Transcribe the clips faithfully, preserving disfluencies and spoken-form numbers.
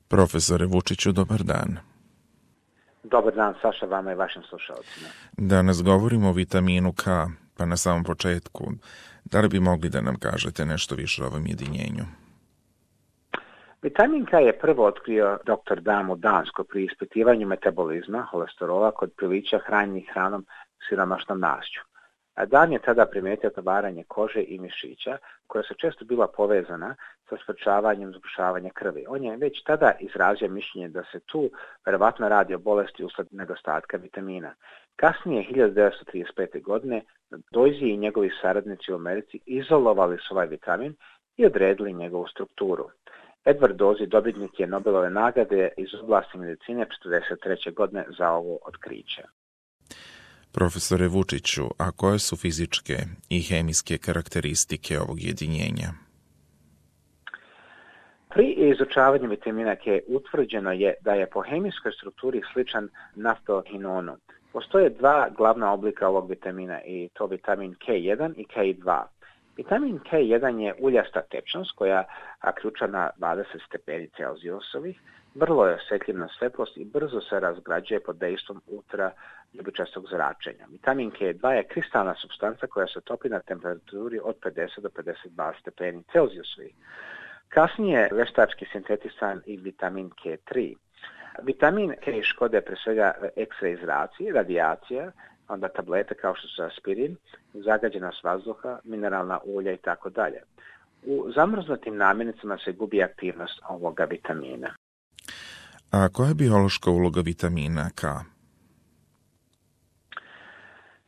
Profesore Vučiću, dobar dan. Dobar dan, Saša, vama i vašim slušalcima. Danas govorimo o vitaminu K, pa na samom početku, da li bi mogli da nam kažete nešto više o ovom jedinjenju? Vitamin K je prvo otkrio doktor Dam u Danskoj pri ispitivanju metabolizma holesterola kod prilića hranjenih hranom siromašnom mašću. A Dan je tada primijetio otvaranje kože i mišića, koja su često bila povezana sa sprečavanjem zgrušavanja krvi. On je već tada izrazio mišljenje da se tu verovatno radi o bolesti usled nedostatka vitamina. Kasnije, hiljadu devetsto trideset pete. godine, Doisy i njegovi saradnici u Americi izolovali su ovaj vitamin i odredili njegovu strukturu. Edward Doisy dobitnik je Nobelove nagrade iz oblasti medicine četrdeset treće. godine za ovo otkriće. Profesore Vučiću, a koje su fizičke i hemijske karakteristike ovog jedinjenja? Pri izučavanju vitamina K utvrđeno je da je po hemijskoj strukturi sličan naftohinonu. Postoje dva glavna oblika ovog vitamina i to vitamin K jedan i K dva. Vitamin K jedan je uljasta tečnost koja ključa na dvadeset stepeni Celzijusovih, vrlo je osjetljiv na svetlost i brzo se razgrađuje pod dejstvom ultraljubičastog zračenja. Vitamin K dva je kristalna supstanca koja se topi na temperaturi od pedeset do pedeset dva stepeni Celzijusovih. Kasnije veštački sintetisan i vitamin K tri. Vitamin K škode pre svega X-ray zraci, radijacija, onda tablete kao što su aspirin, zagađenost vazduha, mineralna ulja i tako dalje. U zamrznutim namirnicama se gubi aktivnost ovoga vitamina. A koja je biološka uloga vitamina K?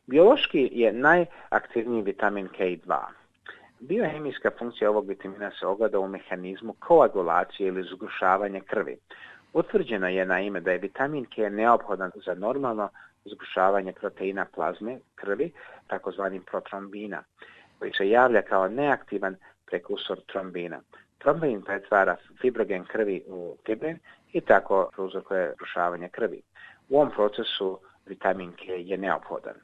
Biološki je najaktivniji vitamin K dva. Biohemijska funkcija ovog vitamina se ogleda u mehanizmu koagulacije ili zgrušavanja krvi. Utvrđeno je naime da je vitamin K neophodan za normalno zgrušavanje proteina plazme krvi, takozvani protrombina, koji se javlja kao neaktivan prekursor trombina. Trombin pretvara fibrogen krvi u fibrin i tako prouzrokuje zgrušavanje krvi. U ovom procesu vitamin K je neophodan.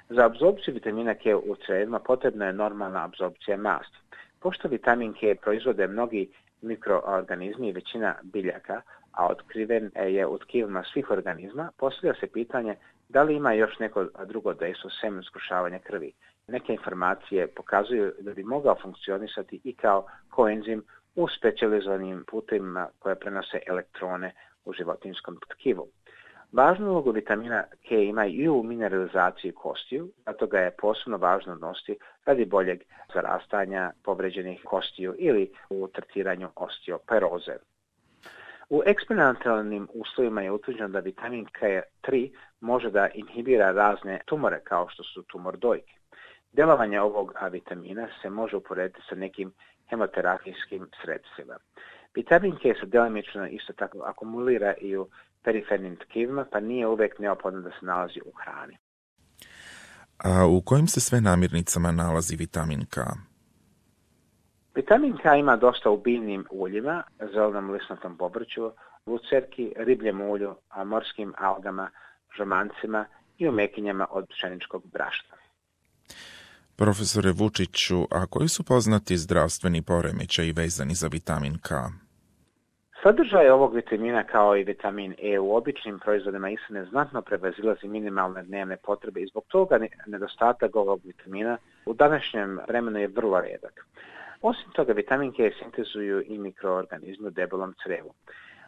Za apsorpciju vitamina K u crijevima potrebna je normalna apsorpcija masti. Pošto vitamin K proizvode mnogi mikroorganizmi i većina biljaka, a otkriven je u tkivima svih organizma, postavlja se pitanje da li ima još neko drugo dejstvo sem zgrušavanja krvi. Neke informacije pokazuju da bi mogao funkcionisati i kao koenzim u specijalizovanim putevima koje prenose elektrone u životinjskom tkivu. Važnu ulogu vitamina K ima i u mineralizaciji kostiju, zato ga je posebno važno nositi radi boljeg zarastanja povređenih kostiju ili u tretiranju osteoporoze. U eksperimentalnim uslovima je utvrđeno da vitamin K tri može da inhibira razne tumore kao što su tumor dojke. Delovanje ovog vitamina se može uporediti sa nekim hemoterapijskim sredstvima. Vitamin K se delimično isto tako akumulira i u perifernim tkivima, pa nije uvijek neophodno da se nalazi u hrani. A u kojim se sve namirnicama nalazi vitamin K? Vitamin K ima dosta u biljnim uljima, zelenom lisnatom povrću, lucerki, ribljem ulju, morskim algama, žomancima i u mekinjama od pšeničkog brašna. Profesore Vučiću, a koji su poznati zdravstveni poremećaji vezani za vitamin K? Sadržaj ovog vitamina kao i vitamin E u običnim proizvodima ishrane znatno prevazilazi minimalne dnevne potrebe i zbog toga nedostatak ovog vitamina u današnjem vremenu je vrlo redak. Osim toga, vitamin K sintezuju i mikroorganizmi u debelom crevu.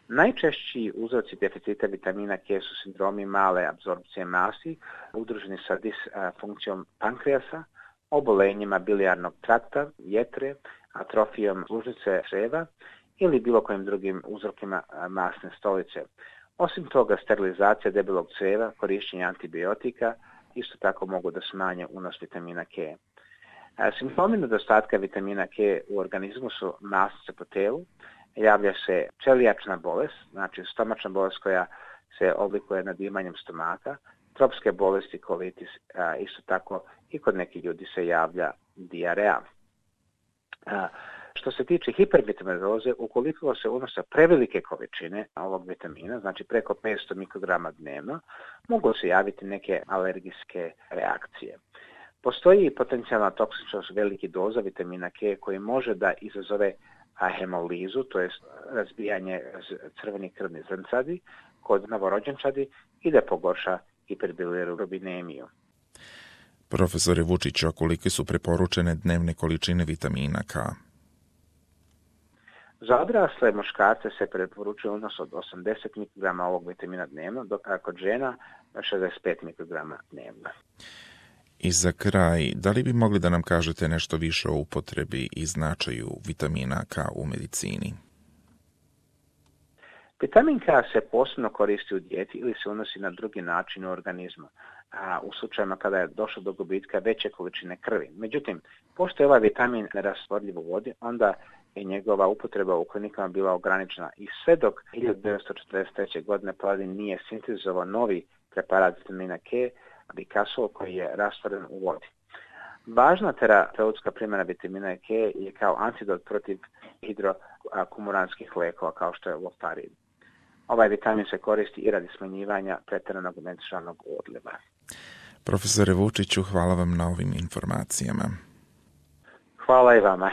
Najčešći uzroci deficita vitamina K su sindromi male apsorpcije masti, udruženi sa disfunkcijom pankreasa, obolenjima bilijarnog trakta, jetre, atrofijom sluznice crijeva ili bilo kojim drugim uzrokima masne stolice. Osim toga, sterilizacija debelog crijeva, korišćenje antibiotika isto tako mogu da smanje unos vitamina K. Simptomi nedostatka vitamina K u organizmu su masnice po telu, javlja se čelijačna bolest, znači stomačna bolest koja se oblikuje nadimanjem stomaka, tropske bolesti, kolitis, isto tako i kod nekih ljudi se javlja dijareja. Što se tiče hipervitaminoze, ukoliko se unose prevelike količine ovog vitamina, znači preko petsto mikrograma dnevno, mogu se javiti neke alergijske reakcije. Postoji potencijalna toksičnost velikih doza vitamina K koji može da izazove hemolizu, to je razbijanje crvenih krvnih zrncadi kod novorođenčadi i da pogorša hiperbilirubinemiju. Profesore Vučiću, a kolike su preporučene dnevne količine vitamina K? Za odrasle muškarce se preporučuje unos od osamdeset mikrograma ovog vitamina dnevno, dok kod žena šezdeset pet mikrograma dnevno. I za kraj, da li bi mogli da nam kažete nešto više o upotrebi i značaju vitamina K u medicini? Vitamin K se posebno koristi u dijeti ili se unosi na drugi način u organizmu, a u slučajima kada je došlo do gubitka veće količine krvi. Međutim, pošto je ovaj vitamin nerastvorljiv u vodi, onda je njegova upotreba u klinikama bila ograničena i sve dok hiljadu devetsto četrdeset treće. godine Paladin nije sintetizovao novi preparat vitamina K, Bicasol, koji je rastvoren u vodi. Važna terapeutska primjena vitamina K je kao antidot protiv hidroakumuranskih lekova kao što je Warfarin. Ovaj vitamin se koristi i radi smanjivanja pretjeranog menstrualnog odljeva. Profesore Vučiću, hvala vam na ovim informacijama. Hvala i vama.